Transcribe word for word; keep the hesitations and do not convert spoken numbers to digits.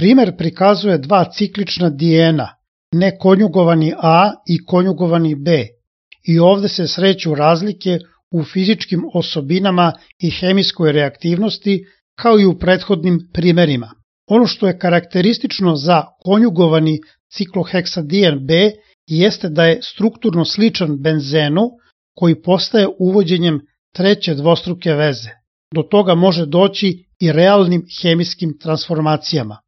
Primer prikazuje dva ciklična dijena, nekonjugovani A i konjugovani B, i ovde se sreću razlike u fizičkim osobinama i hemijskoj reaktivnosti kao i u prethodnim primerima. Ono što je karakteristično za konjugovani cikloheksadien B jeste da je strukturno sličan benzenu koji postaje uvođenjem treće dvostruke veze. Do toga može doći i realnim hemijskim transformacijama.